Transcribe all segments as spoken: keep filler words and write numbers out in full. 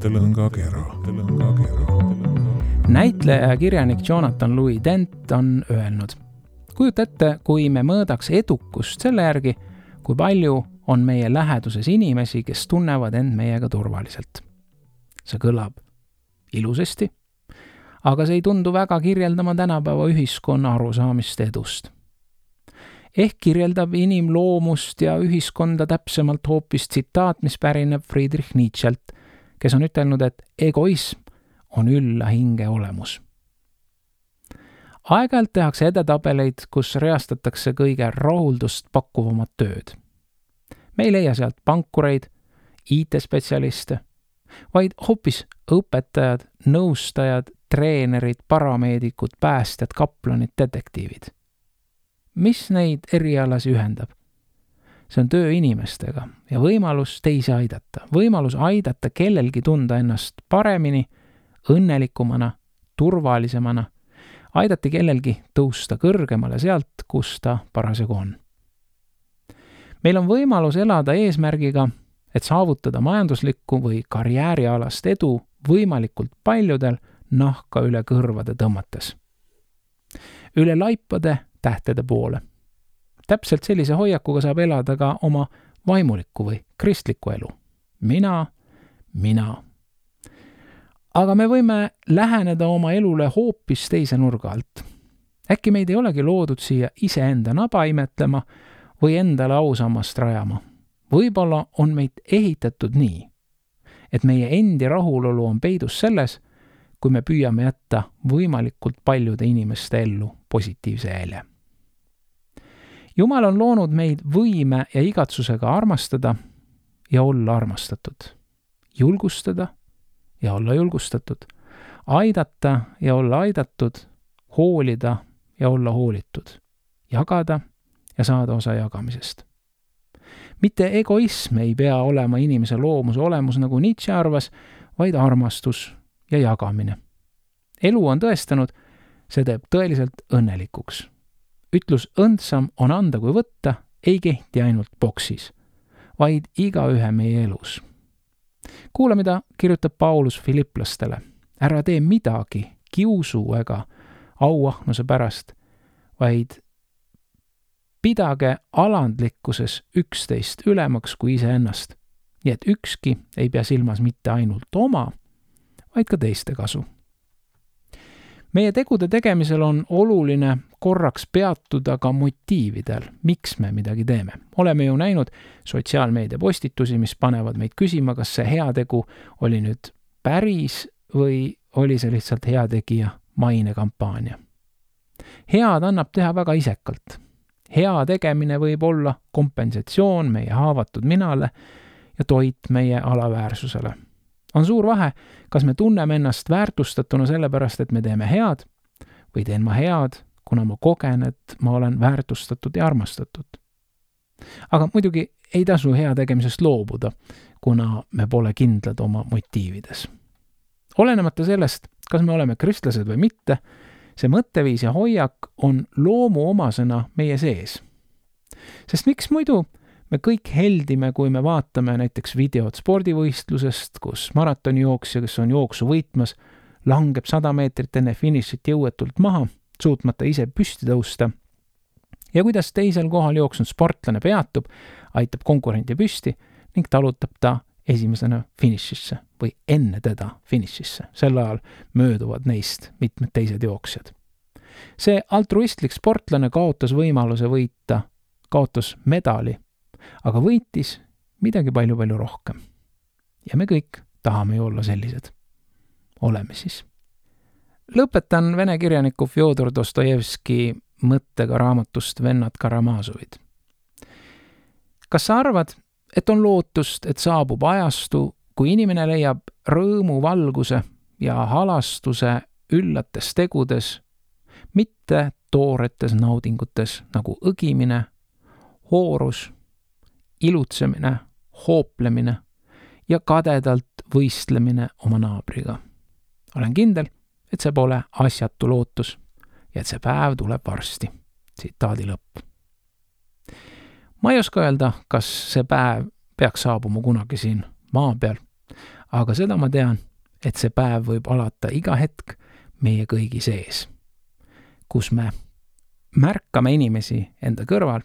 mõttelõngakera. Näitleja ja kirjanik Jonathan Louis Dent on öelnud: kujuta ette, kui me mõõdaks edukust selle järgi, kui palju on meie läheduses inimesi, kes tunnevad end meiega turvaliselt. See kõlab ilusasti, aga see ei tundu väga kirjeldama tänapäeva ühiskonna arusaamist edust. Ehk kirjeldab inimloomust ja ühiskonda täpsemalt hoopis tsitaat, mis pärineb Friedrich Nietzschelt, kes on ütelnud, et egoism on ülla hinge olemus. Aeg-ajalt tehakse edetabeleid, kus reastatakse kõige rahuldust pakkuvamat tööd. Me ei leia sealt pankureid, I T-spetsialiste, vaid hoopis õpetajad, nõustajad, treenerid, parameedikud, päästjad, kaplanid, detektiivid. Mis neid erialasi ühendab? See on töö inimestega ja võimalus teisi aidata. Võimalus aidata kellelgi tunda ennast paremini, õnnelikumana, turvalisemana, aidati kellelgi tõusta kõrgemale sealt, kus ta parasjagu on. Meil on võimalus elada eesmärgiga, et saavutada majanduslikku või karjäärialast edu võimalikult paljudel nahka üle kõrvade tõmmates. Üle laipade tähtede poole. Täpselt sellise hoiakuga saab elada ka oma vaimulikku või kristlikku elu. Mina, mina. Aga me võime läheneda oma elule hoopis teise nurga alt. Äkki meid ei olegi loodud siia iseenda naba imetlema või endale ausammast rajama. Võib-olla on meid ehitatud nii, et meie endi rahulolu on peidus selles, kui me püüame jätta võimalikult paljude inimeste ellu positiivse jälje. Jumal on loonud meid võime ja igatsusega armastada ja olla armastatud, julgustada ja olla julgustatud, aidata ja olla aidatud, hoolida ja olla hoolitud, jagada ja saada osa jagamisest. Mitte egoism ei pea olema inimese loomuse olemus, nagu Nietzsche arvas, vaid armastus ja jagamine. Elu on tõestanud, see teeb tõeliselt õnnelikuks. Ütlus õndsam on anda kui võtta ei kehti ainult boksis, vaid igaühe meie elus. Kuula, mida kirjutab Paulus Filiplastele. Ära tee midagi kiusu ega auahnuse pärast, vaid pidage alandlikkuses üksteist ülemaks kui iseennast, nii et ükski ei pea silmas mitte ainult oma, vaid ka teiste kasu. Meie tegude tegemisel on oluline korraks peatuda ka motiividel, miks me midagi teeme. Oleme ju näinud sotsiaalmeedia postitusi, mis panevad meid küsima, kas see heategu oli nüüd päris või oli see lihtsalt heategija mainekampaania. Head annab teha väga isekalt. Hea tegemine võib olla kompensatsioon meie haavatud minale ja toit meie alaväärsusele. On suur vahe, kas me tunneme ennast väärtustatuna sellepärast, et me teeme head, või teen ma head, kuna ma kogen, et ma olen väärtustatud ja armastatud. Aga muidugi ei tasu hea tegemisest loobuda, kuna me pole kindlad oma motiivides. Olenemata sellest, kas me oleme kristlased või mitte, see mõtteviis ja hoiak on loomu omasena meie sees. Sest miks muidu me kõik heldime, kui me vaatame näiteks videot spordivõistlusest, kus maratonijooksja, kes on jooksu võitmas, langeb sada meetrit enne finišit jõuetult maha, suutmata ise püsti tõusta, ja kuidas teisel kohal jooksnud sportlane peatub, aitab konkurendi püsti ning talutab ta esimesena finišisse või enne teda finišisse. Sel ajal mööduvad neist mitmed teised jooksjad. See altruistlik sportlane kaotas võimaluse võita, kaotas medali, aga võitis midagi palju-palju rohkem. Ja me kõik tahame ju olla sellised. Oleme siis. Lõpetan vene kirjaniku Fjodor Dostojevski mõttega raamatust Vennad Karamaazovid. Kas sa arvad, et on lootust, et saabub ajastu, kui inimene leiab rõõmu valguse ja halastuse üllates tegudes, mitte tooretes naudingutes nagu õgimine, hoorus, ilutsemine, hooplemine ja kadedalt võistlemine oma naabriga. Olen kindel, et see pole asjatu lootus ja et see päev tuleb varsti. Tsitaadi lõpp. Ma ei oska öelda, kas see päev peaks saabuma kunagi siin maa peal, aga seda ma tean, et see päev võib alata iga hetk meie kõigi sees, kus me märkame inimesi enda kõrval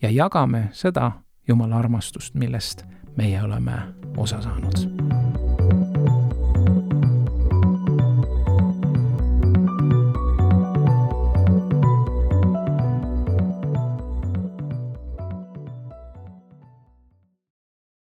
ja jagame seda Jumala armastust, millest meie oleme osa saanud.